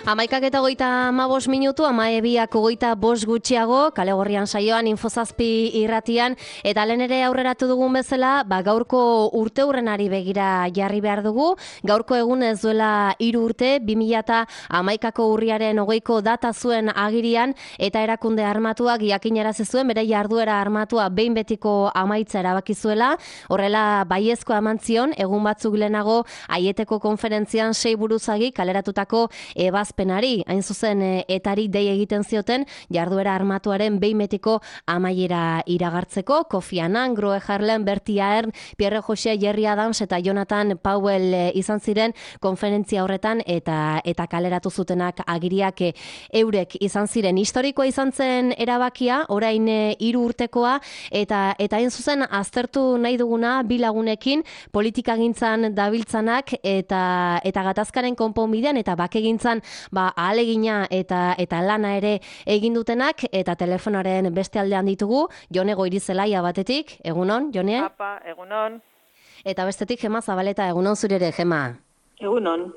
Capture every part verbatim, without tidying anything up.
Amaikak eta goita ama bost minutu, ama ebiak goita bost gutxiago, kale gorrian saioan, infozazpi irratian, eta lehen ere aurreratu dugun bezala, ba, gaurko urte hurrenari begira jarri behar dugu. Gaurko egun ez duela hiru urte, bi mila eta hamaikako urriaren hogeiko data zuen agirian, eta erakunde armatuak jakinarazi zuen, bere jarduera armatua behin betiko amaitza erabaki zuela. Horrela baiezko eman zion, egun batzuk lehenago, Aieteko konferentzian sei buruzagi kaleratutako ebazpenari, hain zuzen etari dei egiten zioten jarduera armatuaren behin betiko amaiera iragartzeko. Kofi Annan, Groe Harlem, Bertie Ahern, Pierre José, Jerry Adams eta Jonathan Powell izan ziren konferentzia horretan eta eta kaleratu zutenak agiriak eurek izan ziren. Historikoa izan zen erabakia, orain hiru urtekoa, eta eta hain zuzen aztertu nahi duguna bi lagunekin politikagintzan dabiltzanak eta eta gatazkaren konponbidean eta bakegintzan ba ahalegina eta eta lana ere egin dutenak, eta telefonoaren beste aldean ditugu Jone Goirizelaia batetik. Egunon, Jone? Apa, egunon. Eta bestetik Gema Zabaleta. Egunon zure ere, Gema. Egunon.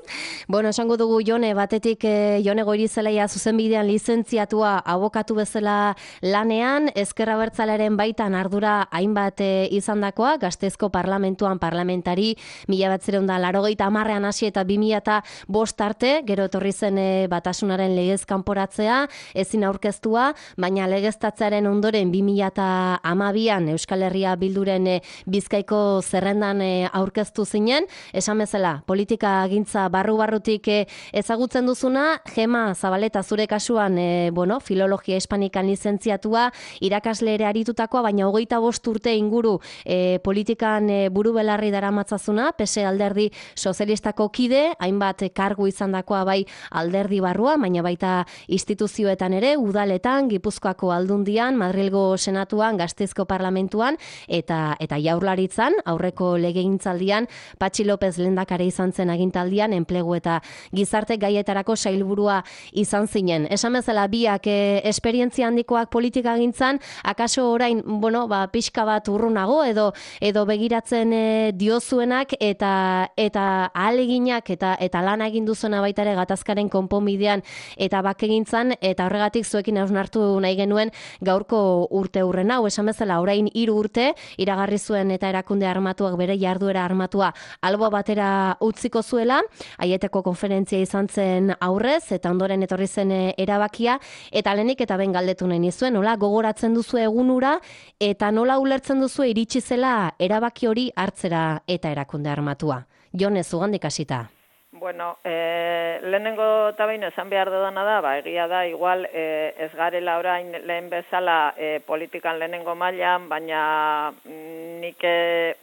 Bueno, esango dugu Jone, batetik eh, Jone Goirizelaia zuzenbidean lizentziatua abokatu bezala lanean, Ezker Abertzalearen baitan ardura hainbat eh, izandakoa, Gasteizko parlamentuan parlamentari mila bederatziehun eta laurogeita hamarrean hasi eta bi mila eta bost arte, gero etorri zen eh, batasunaren legez kanporatzea, ezin aurkeztua, baina legeztatzearen ondoren bi mila eta hamabian Euskal Herria Bilduren eh, Bizkaiko zerrendan eh, aurkeztu zinen. Esan bezala, politika agintza barru-barrutik eh, ezagutzen duzuna. Gema Zabaleta, zure kasuan eh, bueno, filologia hispanikan lizentziatua, irakasle ere aritutakoa, baina hogeita bost urte inguru eh, politikan eh, buru belarri daramatzazuna, P S alderdi sozialistako kide, hainbat kargu izandakoa bai alderdi barrua, baina baita instituzioetan ere, udaletan, Gipuzkoako aldundian, Madrilgo senatuan, Gasteizko parlamentuan, eta eta jaurlaritzan, aurreko legegintzaldian, Patxi López lehendakari izan zen agintaldian, enplegu eta gizarte gaietarako sailburua izan zinen. Esan bezala biak e, esperientzia handikoak politika gintzan, akaso orain, bueno, ba, pixka bat urrunago edo edo begiratzen e, diozuenak eta eta ahaleginak eta eta lana egin duzuena baita ere gatazkaren konponbidean eta bakegintzan, eta horregatik zuekin hausnartu nahi genuen gaurko urte hurren hau. Esan bezala orain hiru urte iragarri zuen eta erakunde armatuak bere jarduera armatua albo batera utziko zuela, Aieteko konferentzia izan zen aurrez, eta ondoren etorri zen erabakia, eta lehenik eta ben galdetu nahi nizuen, nola gogoratzen duzu egunura, eta nola ulertzen duzu iritsi zela erabaki hori hartzera eta erakunde armatua. Jone, zugandik hasita. Bueno, eh, lehenengo eta behin esan behar dudana da, ba, egia da, igual eh, ez garela orain lehen bezala eh, politikan lehenengo mailan, baina nik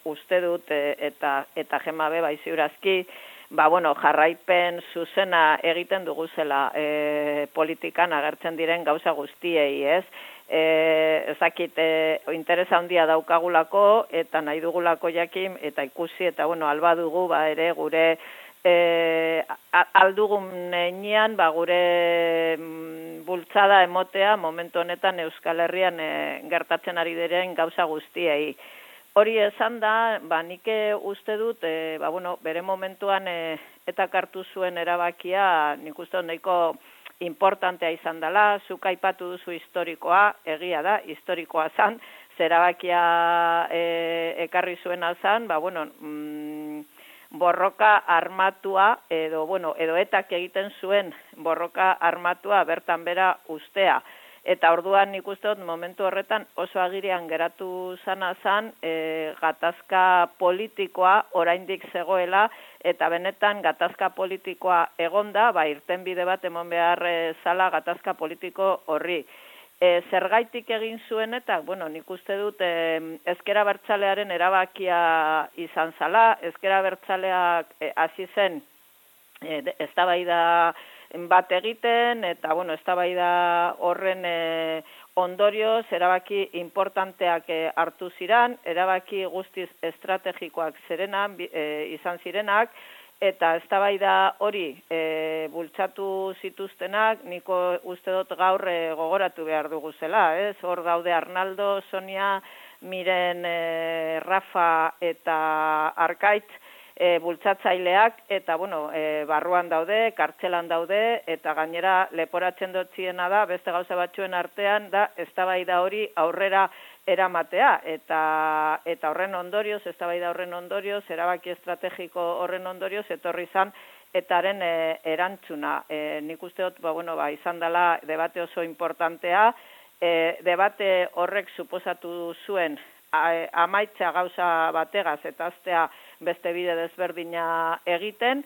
uste dut eh, eta eta Gema be bai ziurazki, ba, bueno, jarraipen zuzena egiten duguzela e, politikan agertzen diren gauza guztiei, ez? E, ezakit, e, interesa handia daukagulako eta nahi dugulako jakin eta ikusi eta, bueno, alba dugu, ba, ere gure e, aldugun nenean, ba, gure mm, bultzada emotea momentu honetan Euskal Herrian e, gertatzen ari diren gauza guztiei. Hori esan da, ba, nik uste dut, e, ba, bueno, bere momentuan e, eta kartu zuen erabakia, nik uste dut nahiko importantea izan dela, zuk aipatu duzu historikoa, egia da, historikoa zan, zerabakia e, ekarri zuena zan, ba, bueno, mm, borroka armatua, edo, bueno, edo etak egiten zuen borroka armatua bertan bera ustea. Eta orduan nik uste dut momentu horretan oso agirian geratu zana zan e, gatazka politikoa oraindik zegoela, eta benetan gatazka politikoa egonda, ba, irtenbide bat emon behar e, zala gatazka politiko horri. E, zergaitik egin zuen eta, bueno, nik uste dut e, Ezker Abertzalearen erabakia izan zala, Ezker Abertzaleak e, hasi zen e, eztabaida bat egiten, eta, bueno, eztabaida horren e, ondorioz erabaki importanteak e, hartu ziren, erabaki guztiz estrategikoak zirenak, e, izan zirenak, eta eztabaida hori e, bultzatu zituztenak, niko uste dut gaur e, gogoratu behar dugu zela, ez? Hor daude Arnaldo, Sonia, Miren, e, Rafa eta Arkaitz, e, bultzatzaileak, eta, bueno, e, barruan daude, kartzelan daude, eta gainera leporatzen dutziena da, beste gauza batzuen artean, da, eztabaida hori aurrera eramatea, eta eta horren ondorioz, eztabaida horren ondorioz, erabaki estrategiko horren ondorioz, etorri izan, etaren e, erantzuna. E, nik uste dut, ba, bueno, ba, izan dela debate oso importantea, e, debate horrek suposatu zuen amaitza gauza bategaz eta aztea beste bide desberdina egiten.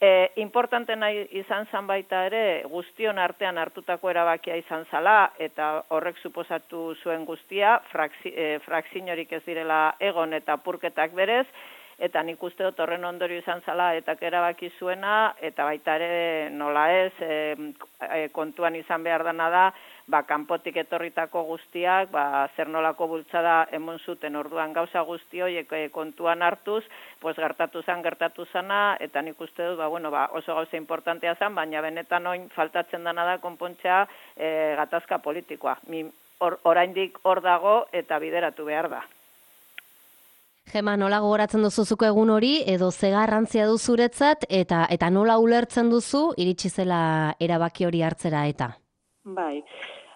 E, importante nahi izan zan baita ere, guztion artean hartutako erabakia izan zala, eta horrek suposatu zuen guztia, fraksi, e, frakzinorik ez direla egon eta purketak berez, eta nik uste dut horren ondorio izan zala eta erabaki zuena, eta baita ere nola ez, e, e, kontuan izan behar dana da, ba, kanpotik etorritako guztiak, ba, zer nolako bultzada emon zuten orduan gauza guzti horiek e, kontuan hartuz, pues gertatu zen, gertatu zana, eta nik uste dut, ba, bueno, ba, oso gauza importantea zen, baina benetan oin faltatzen dana da konpontzea e, gatazka politikoa. Mi, or, oraindik hor dago eta bideratu behar da. Gema, nola gogoratzen duzuzuko egun hori, edo ze garrantzia du zuretzat, eta eta nola ulertzen duzu iritsi zela erabaki hori hartzera eta? Bai,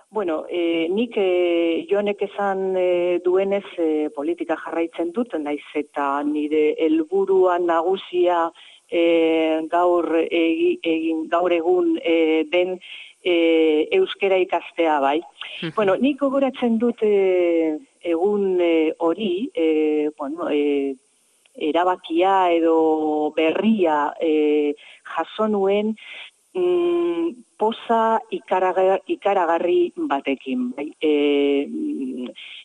bueno, e, nik e, Jonek esan e, duenez e, politika jarraitzen dut, naiz eta nire helburua nagusia e, gaur, egi, egin, gaur egun e, den e, euskera ikastea, bai. Bueno, nik gogoratzen dut e, egun hori, e, bueno, e, erabakia edo berria e, jaso nuen mm, poza ikaragar, ikaragarri batekin. Bai. E,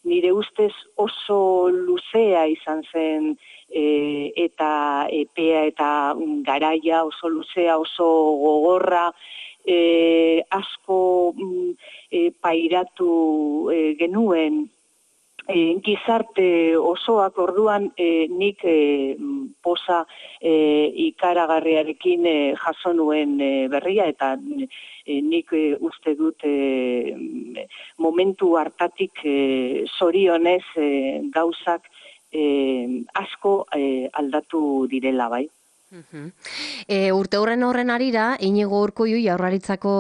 nire ustez oso luzea izan zen e, eta epea eta garaia oso luzea, oso gogorra, e, asko mm, e, pairatu e, genuen, E, gizarte osoak orduan e, nik e, poza e, ikaragarriarekin e, jaso nuen e, berria, eta e, nik e, uste dut e, momentu hartatik e, zorionez e, gauzak e, asko e, aldatu direla, bai. Uh-huh. E, urte horren horren arira, Inigo Urkullu Jaurlaritzako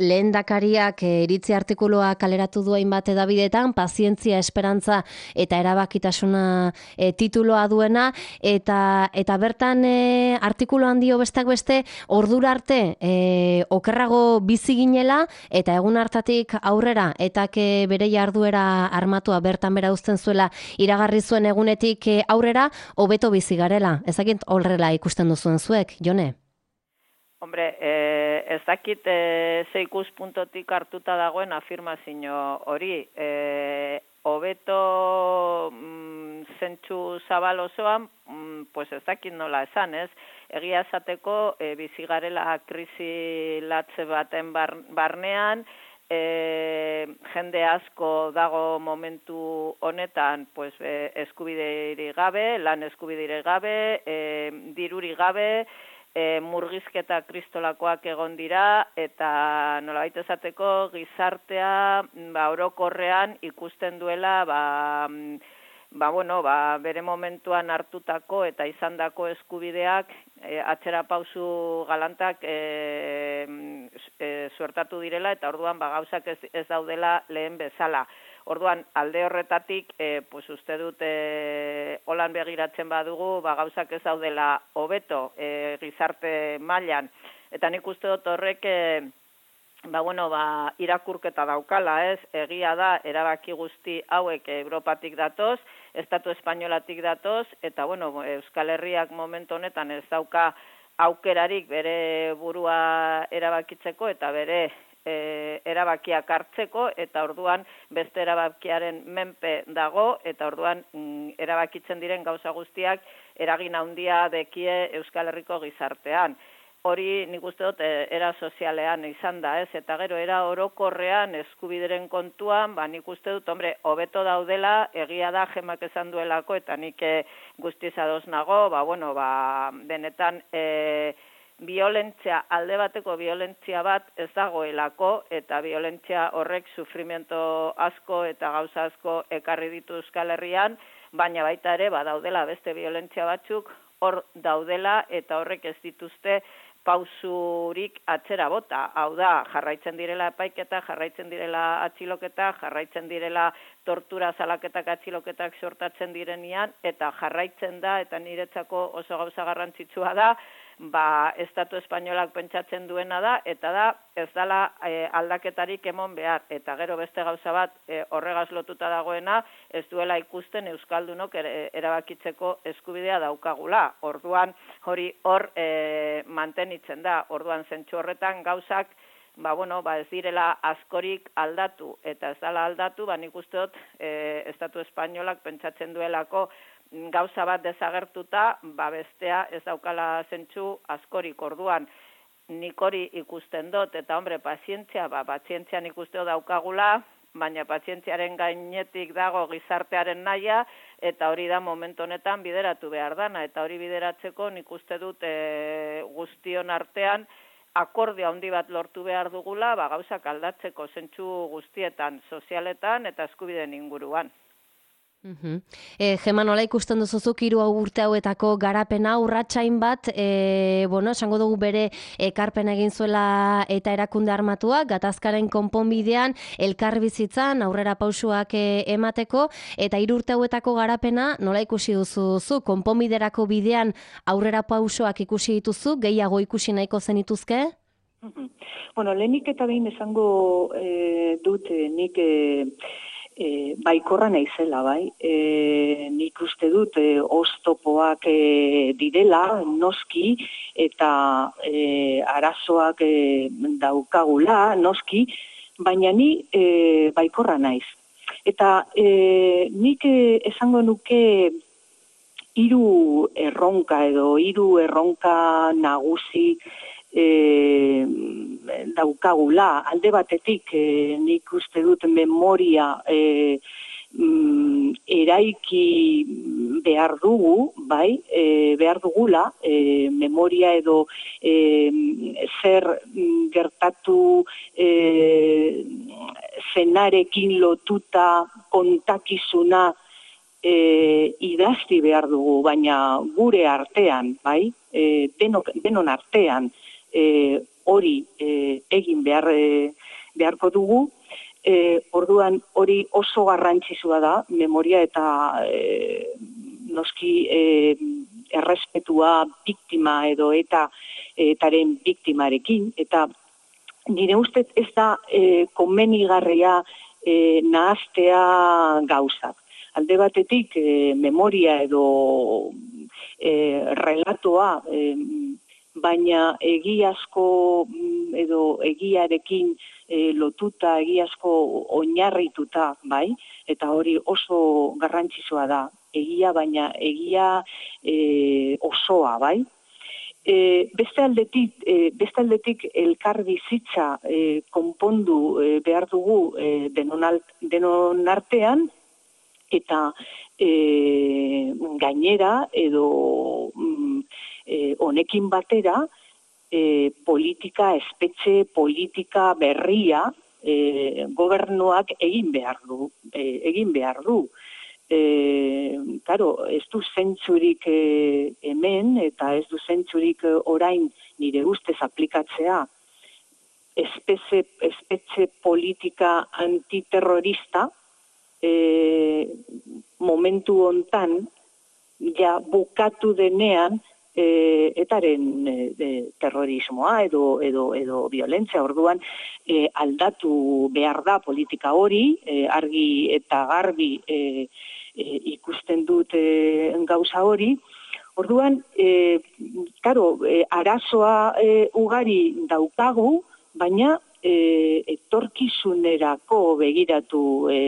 lehendakariak e, iritzi artikuloa kaleratu du hainbat edabidetan, pazientzia, esperantza eta erabakitasuna e, tituloa duena, eta eta bertan e, artikuloan dio besteak beste, ordura arte e, okerrago bizi ginela, eta egun hartatik aurrera, eta ke bere jarduera armatua bertan bera uzten zuela iragarri zuen egunetik e, aurrera, hobeto bizi garela. Ezakit horrela ikusten zuen zuek, Jone? Hombre, eh, ez dakit eh, ze ikuspuntotik hartuta dagoen afirmazio hori. Eh, hobeto mm, zentsu zabal osoan, mm, pues ez dakit nola esan, ez? Egia esateko eh, bizi garela krisi latze baten bar, barnean, E, jende asko dago momentu honetan pues, e, eskubideiri gabe, lan eskubideiri gabe, e, diruri gabe, e, murgizketa kristolakoak egon dira, eta nolabait esateko gizartea ba, orokorrean ikusten duela ba, ba, bueno, ba, bere momentuan hartutako eta izandako eskubideak e, atzera pausu galantak e, e, suertatu direla, eta orduan ba, gauzak ez, ez daudela lehen bezala. Orduan alde horretatik, e, pues uste dut e, holan begiratzen badugu, ba, gauzak ez daudela hobeto e, gizarte mailan, eta nik uste dut horrek e, Ba, bueno, ba, irakurketa daukala, ez? Egia da, erabaki guzti hauek Europatik datoz, Estatu Espainolatik datoz, eta, bueno, Euskal Herriak momentu honetan ez dauka aukerarik bere burua erabakitzeko eta bere e, erabakiak hartzeko, eta orduan beste erabakiaren menpe dago, eta orduan mm, erabakitzen diren gauza guztiak eragin handia dekie Euskal Herriko gizartean. Hori nik uste dut era sozialean izan da, ez? Eta gero era orokorrean eskubideren kontuan, ba nik uste dut, hombre, hobeto daudela, egia da Gemak esan duelako, eta nik guztiz ados nago, ba bueno, ba benetan e, violentzia, alde bateko violentzia bat ez dagoelako, eta violentzia horrek sufrimento asko eta gauza asko ekarri ditu Euskal Herrian, baina baita ere badaudela beste violentzia batzuk hor daudela eta horrek ez dituzte pausurik atzera bota. Hau da, jarraitzen direla epaiketa, jarraitzen direla atxiloketa, jarraitzen direla tortura zalaketak atxiloketak sortatzen direnean, eta jarraitzen da, eta niretzako oso gauza garrantzitsua da, ba, Estatu Espainolak pentsatzen duena da, eta da, ez dela e, aldaketarik emon behar. Eta gero beste gauza bat e, horregaz lotuta dagoena, ez duela ikusten Euskaldunok er, erabakitzeko eskubidea daukagula. Orduan hori hor e, mantenitzen da. Orduan zentsu horretan gauzak, ba, bueno, ba, ez direla askorik aldatu, eta ez dela aldatu, ba, nik uste dut e, Estatu Espainolak pentsatzen duelako gauza bat desagertuta, ba bestea ez daukala zentsu askorik. Orduan nik hori ikusten dut, eta hombre, pazientzia, ba, pazientzia nik uste dut daukagula, baina pazientziaren gainetik dago gizartearen naia, eta hori da momentu honetan bideratu behar dana, eta hori bideratzeko nik uste dut e, guztion artean akordio handi bat lortu behar dugula, ba, gauzak aldatzeko zentsu guztietan, sozialetan eta eskubideen inguruan. Uh-huh. E, Gema, nola ikusten duzuzuk hiru urte hauetako garapena urratsain bat, e, bueno, esango dugu bere ekarpen egin zuela eta erakunde armatuak, gatazkaren konponbidean, elkar bizitzan, aurrera pausuak e, emateko, eta hiru urte hauetako garapena nola ikusi duzuzu, konponbiderako bidean aurrera pausuak ikusi dituzu, gehiago ikusi nahiko zenituzke? Uh-huh. Bueno, lehenik eta behin esango e, dut, e, nik... E, E, baikorra naizela, bai. E, nik uste dut e, oztopoak e, direla, noski, eta e, arazoak e, daukagula, noski, baina ni e, baikorra naiz. Eta e, nik e, esango nuke hiru erronka edo hiru erronka nagusi E, daukagula. Alde batetik e, nik uste dut memoria e, mm, eraiki behar dugu, bai, e, behar dugula, e, memoria edo e, zer gertatu e, zenarekin lotuta kontakizuna e, idazti behar dugu, baina gure artean, bai, e, denok, denon artean, E, hori e, egin behar, e, beharko dugu, e, orduan hori oso garrantzitsua da, memoria eta e, noski e, errespetua biktima edo eta etaren biktimarekin, eta nire ustez ez da e, komenigarria e, nahaztea gauzak. Alde batetik e, memoria edo e, relatoa e, baina egiazko edo egiarekin e, lotuta, egiazko oinarrituta, bai, eta hori oso garrantzitsua da, egia, baina egia e, osoa, bai. E, beste aldetik, e, beste aldetik elkar bizitza e, konpondu e, behar dugu e, denon, alt, denon artean, eta e, gainera edo mm, E, honekin batera, e, politika, espetxe politika berria e, gobernuak egin behar du. E, egin behar du. E, claro, ez du zentzurik e, hemen, eta ez du zentzurik orain nire ustez aplikatzea espetxe, espetxe politika antiterrorista e, momentu hontan ja bukatu denean E, etaren e, terrorismoa edo edo edo violentzia. Orduan e, aldatu behar da politika hori, e, argi eta garbi e, e, ikusten dut e, gauza hori. Orduan, e, claro, e, arazoa e, ugari daukagu, baina e, etorkizunerako begiratu, e,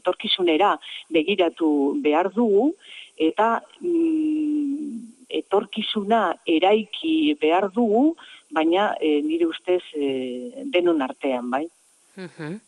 etorkizunera begiratu behar dugu, eta mm, etorkizuna eraiki behar dugu, baina e, nire ustez e, denon artean, bai. Uh-huh.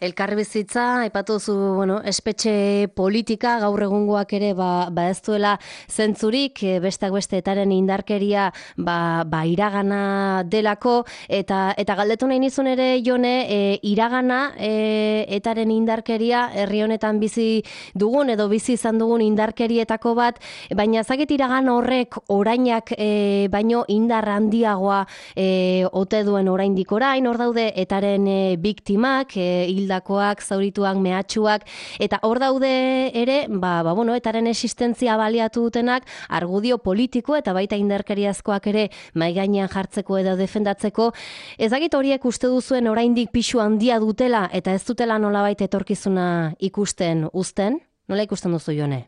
elkarbizitza, aipatu zu, bueno, espetxe politika, gaur egungoak ere, ba, ba ez duela zentzurik, besteak beste etaren indarkeria, ba, ba iragana delako, eta eta galdetu nahi nizun ere, Jone, e, iragana, e, etaren indarkeria, herri honetan bizi dugun, edo bizi izan dugun indarkerietako bat, baina zakit iragan horrek orainak e, baino indar handiagoa e, ote duen oraindik orain, hor daude etaren e, biktimak, e, hildakoak, zaurituak, mehatxuak, eta hor daude ere, ba, ba, bueno, etaren existentzia baliatu dutenak, argudio politiko eta baita indarkeriazkoak ere mai gainean jartzeko edo defendatzeko. Ezagit horiek uste duzuen oraindik pisu handia dutela eta ez dutela nolabait etorkizuna ikusten uzten? Nola ikusten duzu, Jone?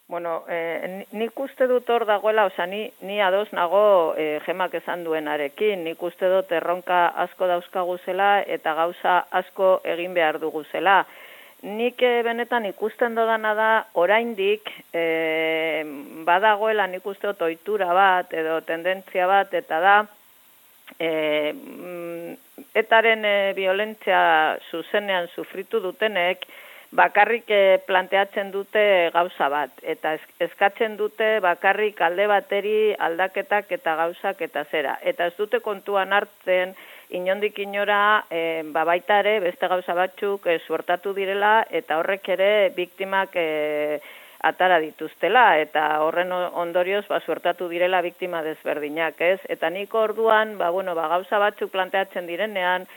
Bueno, eh, nik uste dut hor dagoela, oza, ni, ni ados nago eh, Gemak esan duenarekin, nik uste dut erronka asko dauzkagu zela eta gauza asko egin behar dugu zela. Nik eh, benetan ikusten dodana da, oraindik eh, badagoela nik uste dut ohitura bat edo tendentzia bat, eta da, eh, etaren eh, violentzia zuzenean sufritu dutenek, bakarrik planteatzen dute gauza bat, eta eskatzen dute bakarrik alde bateri aldaketak eta gauzak eta zera. Eta ez dute kontuan hartzen, inondik inora, e, babaita ere, beste gauza batzuk e, suertatu direla, eta horrek ere biktimak e, atara dituztela, eta horren ondorioz ba, suertatu direla biktima desberdinak, ez? Eta nik orduan, ba, bueno, ba, gauza batzuk planteatzen direnean,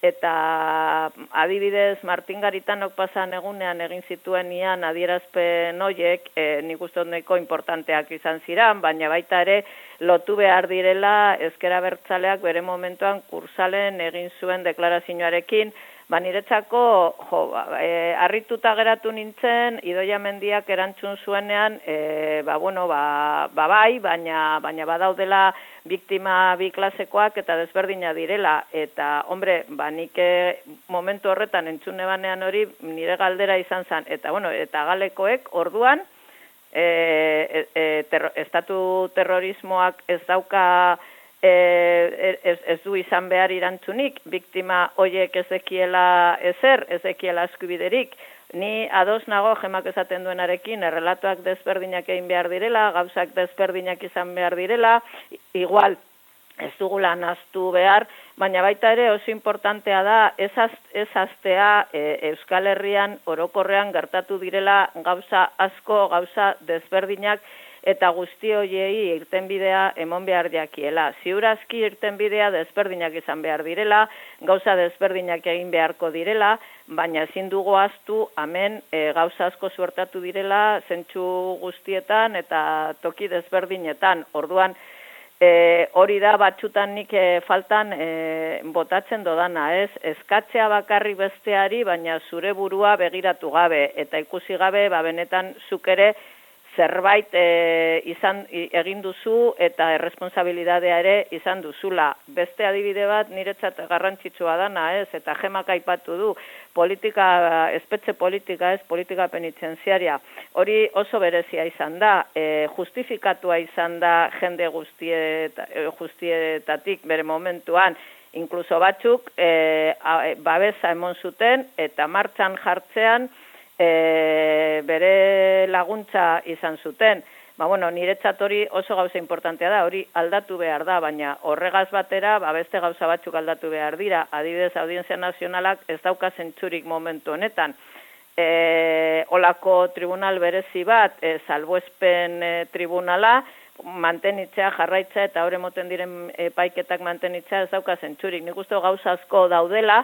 eta adibidez Martin Garitanok pasan egunean egin zituen ian adierazpen hoiek, e, nik uste dut nahiko importanteak izan ziren, baina baita ere lotu behar direla Ezker Abertzaleak bere momentuan kursalen egin zuen deklarazioarekin. Ba, niretzako, jo, e, harrituta geratu nintzen, Idoia Mendiak erantzun zuenean, e, ba, bueno, ba, ba bai, baina, baina badaudela biktima bi klasekoak eta desberdina direla. Eta, hombre, ba, nik momentu horretan entzune banean hori nire galdera izan zen. Eta, bueno, eta galekoek orduan, e, e, terro, estatu terrorismoak ez dauka, Ez, ez du izan behar irantzunik, biktima hoiek ezekiela ezer, ezekiela eskubiderik. Ni ados nago Gemak esaten duenarekin, errelatuak desberdinak egin behar direla, gauzak desberdinak izan behar direla, igual ez dugula naztu behar, baina baita ere oso importantea da ez aztea e, Euskal Herrian orokorrean gertatu direla gauza asko, gauza desberdinak, eta guzti hoiei irtenbidea emon behar jakiela. Ziurazki irtenbidea desberdinak izan behar direla, gauza desberdinak egin beharko direla, baina ezin dugu ahaztu hemen e, gauza asko suertatu direla zentsu guztietan eta toki desberdinetan. Orduan, e, hori da batzutan nik e, faltan e, botatzen dodana, ez? Eskatzea bakarri besteari, baina zure burua begiratu gabe, eta ikusi gabe, ba, benetan zuk ere zerbait e, izan egin duzu eta erresponsabilidadea ere izan duzula. Beste adibide bat niretzat garrantzitsua dana, ez? Eta Gemak aipatu du, politika, espetxe politika, ez, politika penitentziaria. Hori oso berezia izan da, e, justifikatua izan da jende guztiet, guztietatik bere momentuan, inkluso batzuk e, a, babesa emon zuten eta martxan jartzean E, bere laguntza izan zuten. Ba, bueno, niretzat hori oso gauza importantea da, hori aldatu behar da, baina horregaz batera, ba, beste gauza batzuk aldatu behar dira. Adibidez, Audientzia Nazionalak ez dauka zentzurik momentu honetan. E, olako tribunal berezi bat, e, salbuespen e, tribunala, mantenitzea, jarraitzea eta hori moten diren epaiketak mantenitzea ez dauka zentzurik. Nik uste gauza asko daudela,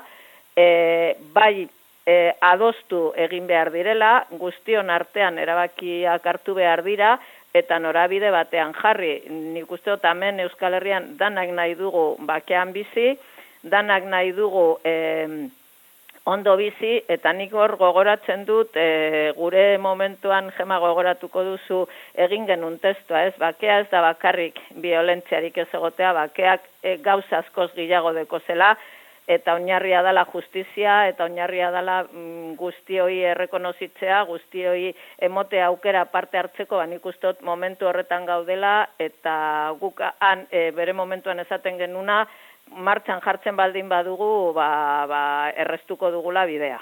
e, bai, E, adostu egin behar direla, guztion artean erabakiak hartu behar dira, eta norabide batean jarri. Nik uste dut hemen Euskal Herrian danak nahi dugu bakean bizi, danak nahi dugu e, ondo bizi, eta nik hor gogoratzen dut, e, gure momentuan Gema gogoratuko duzu egin genuen testua, ez? Bakea ez da bakarrik violentziarik ez egotea, bakeak e, gauza askoz gehiago deko zela, eta oinarria dela justizia, eta oinarria dela mm, guztioi errekonozitzea, guztioi emote aukera parte hartzeko, ba, nik uste dut momentu horretan gaudela, eta guk han, e, bere momentuan esaten genuna, martxan jartzen baldin badugu, ba, ba, errestuko dugula bidea.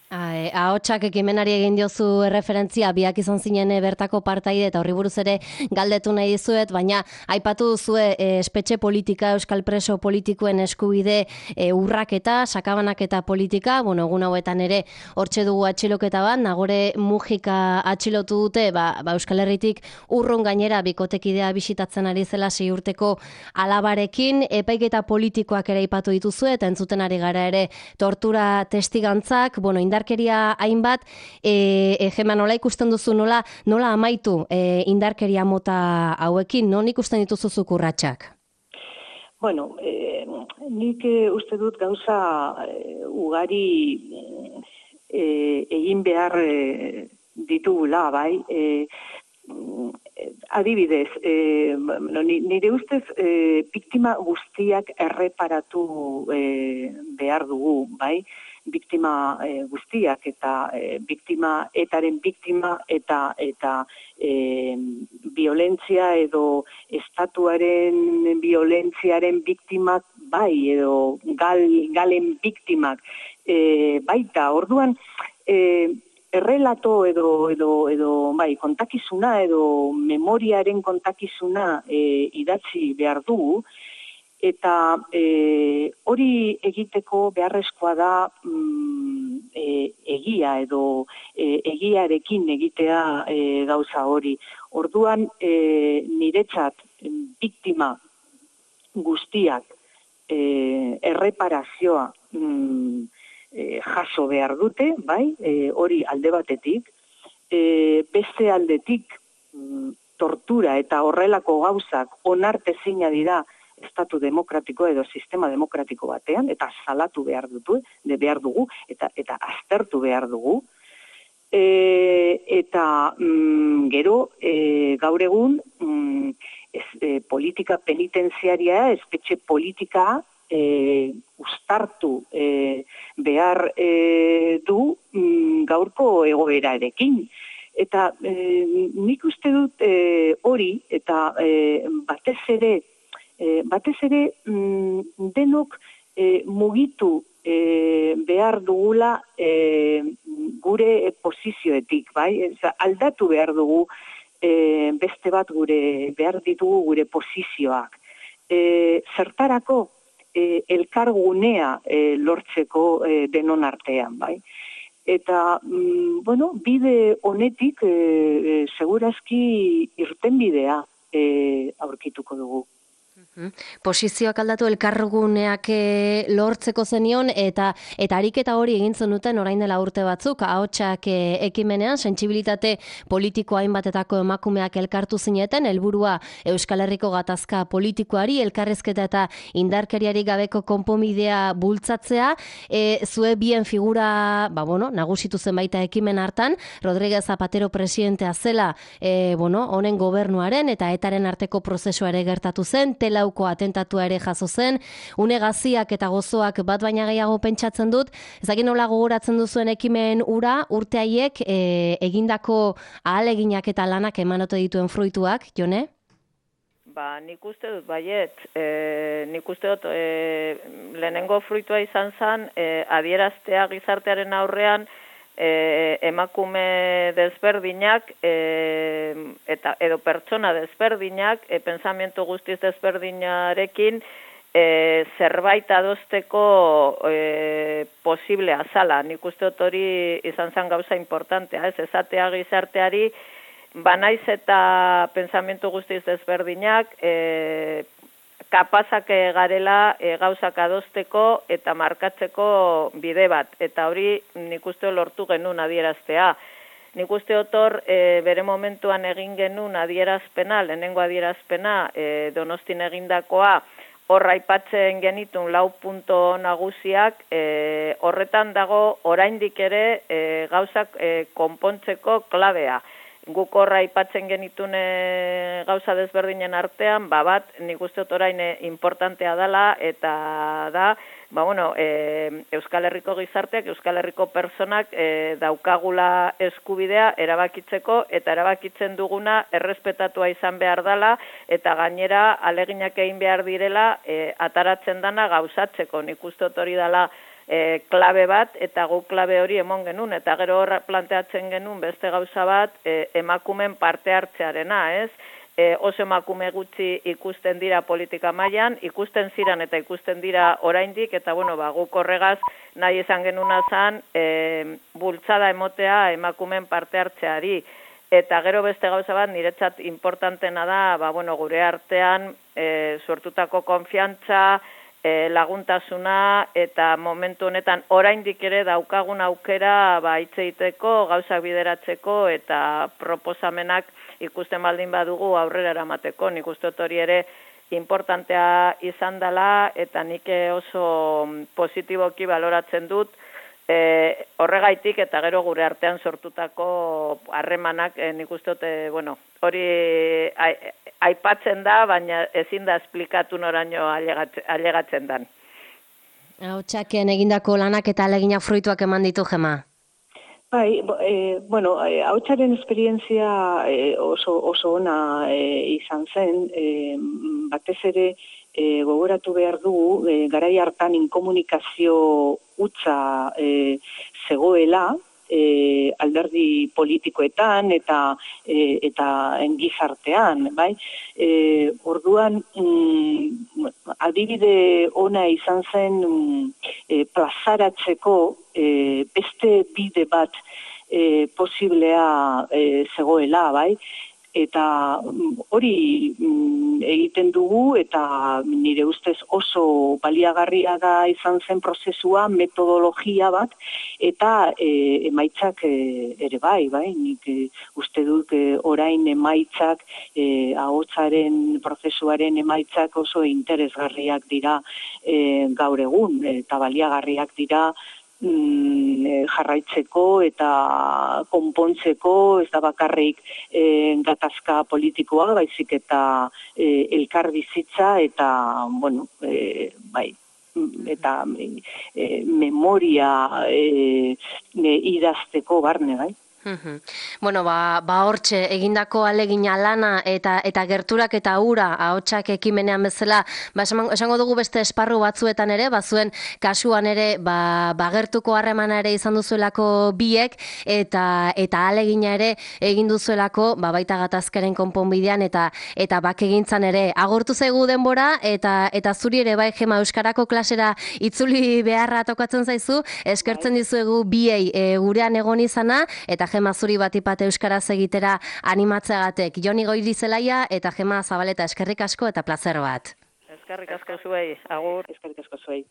Ahotsak ekimenari egin diozu erreferentzia, biak izan zinen bertako partaide eta horri buruz ere galdetu nahi dizuet, baina aipatu duzue e, espetxe politika, euskal preso politikoen eskubide e, urraketa, sakabanaketa politika, bueno, egun hauetan ere hortxe dugu atxiloketa bat, Nagore Mujika atxilotu dute, ba, ba Euskal Herritik urrun gainera bikotekidea bisitatzen ari zela sei urteko alabarekin, epaiketa politikoak ere aipatu dituzue, eta entzuten ari gara ere tortura testigantzak, bueno, indarkeria hainbat, e, egema nola ikusten duzu, nola, nola amaitu e, indarkeria mota hauekin, non ikusten dituzu zuk urratsak? Bueno, e, nik e, uste dut gauza e, ugari e, egin behar e, ditugula, bai, e, adibidez, e, nire ustez e, biktima guztiak erreparatu e, behar dugu, bai, biktima e, guztiak eta e, biktima etaren biktima eta eta e, violentzia edo estatuaren violentziaren biktimak bai edo gal, galen biktimak e, baita. Orduan e, errelato edo edo edo bai kontakizuna edo memoriaren kontakizuna e, idatzi behar dugu. Eta e, hori egiteko beharrezkoa da mm, e, egia edo e, egiarekin egitea e, gauza hori. Orduan e, niretzat biktima guztiak e, erreparazioa mm, e, jaso behar dute, bai, e, hori alde batetik, e, beste aldetik mm, tortura eta horrelako gauzak onartezina dira estatu demokratiko edo sistema demokratiko batean, eta salatu behar dutu, de behar dugu, eta eta aztertu behar dugu. E, eta mm, gero, e, gaur egun, mm, ez, e, politika penitenziaria, espetxe politika, e, ustartu e, behar e, du mm, gaurko egoerarekin. Eta e, nik uste dut e, hori, eta e, batez ere, E, batez ere mm, denok e, mugitu e, behar dugula e, gure posizioetik, bai? Eza, aldatu behar dugu e, beste bat gure behar ditugu gure posizioak. E, zertarako e, elkargunea e, lortzeko e, denon artean, bai? Eta, mm, bueno, bide honetik e, e, segurazki irtenbidea e, aurkituko dugu. Posizioak aldatu elkarguneak e, lortzeko zenion, eta eta ariketa hori egin zenuten orain dela urte batzuk, ahotsak e, ekimenean, sentsibilitate politiko hainbatetako emakumeak elkartu zineten, helburua Euskal Herriko gatazka politikoari, elkarrezketa eta indarkeriari gabeko konponbidea bultzatzea, e, zue bien figura, ba, bueno, nagusitu zen baita ekimen hartan, Rodríguez Zapatero presidentea zela, e, bueno, honen gobernuaren eta etaren arteko prozesua ere gertatu zen, Telauko atentatua ere jaso zen, une gaziak eta gozoak bat baina gehiago pentsatzen dut, ezagin nola gogoratzen duzuen ekimen ura, urte haiek e, egindako ahaleginak eta lanak emanote dituen fruituak, Jone? Ba, nik uste dut, baiet, e, nik uste dut e, lehenengo fruitua izan zen, e, adieraztea gizartearen aurrean, E, emakume desberdinak e, eta edo pertsona desberdinak e, pensamiento guztiz desberdinarekin e, zerbait adosteko e, posiblea zala. Nik uste dut hori izan zen gauza importantea, ez esatea gizarteari banaiz eta pensamiento guztiz desberdinak e, kapazak garela e, gauzak adosteko eta markatzeko bide bat. Eta hori nik uste lortu genuen adieraztea. Nik uste otor e, bere momentuan egin genuen adierazpena, lehenengo adierazpena e, Donostin egindakoa, horra aipatzen genitun lau punto nagusiak, e, horretan dago oraindik ere e, gauzak e, konpontzeko klabea. guk horra aipatzen genitun e, gauza desberdinen artean, ba bat, nik uste dut orain e, importantea dela, eta da, ba bueno, e, Euskal Herriko gizarteak, Euskal Herriko personak e, daukagula eskubidea erabakitzeko, eta erabakitzen duguna errespetatua izan behar dela, eta gainera aleginak egin behar direla e, ataratzen dana gauzatzeko. Nik uste dut hori dela E, klabe bat, eta gu klabe hori emon genuen, eta gero horra planteatzen genuen beste gauza bat e, emakumen parte hartzearena, ez? E, oso emakume gutxi ikusten dira politika mailan, ikusten ziran eta ikusten dira oraindik, eta bueno, ba, guk horregaz nahi izan genuna zan e, bultzada emotea emakumen parte hartzeari. Eta gero beste gauza bat, niretzat importantena da, ba, bueno, gure artean e, sortutako konfiantza, E, laguntasuna, eta momentu honetan oraindik ere daukagun aukera ba hitz egiteko, gauzak bideratzeko eta proposamenak ikusten baldin badugu aurrera eramateko. Nik uste dut hori ere importantea izan dela, eta nik oso positiboki baloratzen dut e, horregaitik, eta gero gure artean sortutako harremanak e, nik uste dut, e, bueno, hori a, aipatzen da, baina ezin da esplikatu noraino ailegatzen dan. Ahotsaken egindako lanak eta aleginak fruituak eman ditu, Gema? Bai, e, bueno, ahotsaren esperientzia e, oso, oso ona e, izan zen, e, batez ere e, gogoratu behar dugu, e, garai hartan inkomunikazio hutsa e, zegoela, E, alderdi politikoetan eta e, eta gizartean, bai? E, orduan mm, adibide ona izan zen mm, e, plazaratzeko e, beste bide bat e, posiblea e, zegoela, bai? Eta hori mm, egiten dugu, eta nire ustez oso baliagarria da izan zen prozesua, metodologia bat, eta e, emaitzak e, ere bai, bai, nik e, uste dut e, orain emaitzak, e, ahotsaren prozesuaren emaitzak oso interesgarriak dira e, gaur egun, eta baliagarriak dira mm, jarraitzeko eta konpontzeko, ez da bakarrik e, gatazka politikoa, baizik eta e, elkar bizitza eta, bueno, e, bai, eta e, memoria e, e, idazteko barne, bai. Bueno, ba, ba hortxe, egindako alegina lana eta eta gerturak eta ura ahotsak ekimenean bezala, ba, esango dugu beste esparru batzuetan ere, bazuen kasuan ere, ba, bagertuko harremana ere izan duzuelako biek, eta eta alegina ere egin duzuelako, ba, baita gatazkaren konponbidean eta eta bakegintzan ere. Agortu zaigu denbora, eta eta zuri ere bai, Gema, euskarako klasera itzuli beharra tokatzen zaizu, eskertzen dizuegu biei e, gurean egon izana, eta Gema zuri batipate euskaraz egitera animatzeagatik. Joni Goirizelaia eta Gema Zabaleta, eskerrik asko eta plazer bat. Eskerrik asko zuei, agur. Eskerrik asko zuei.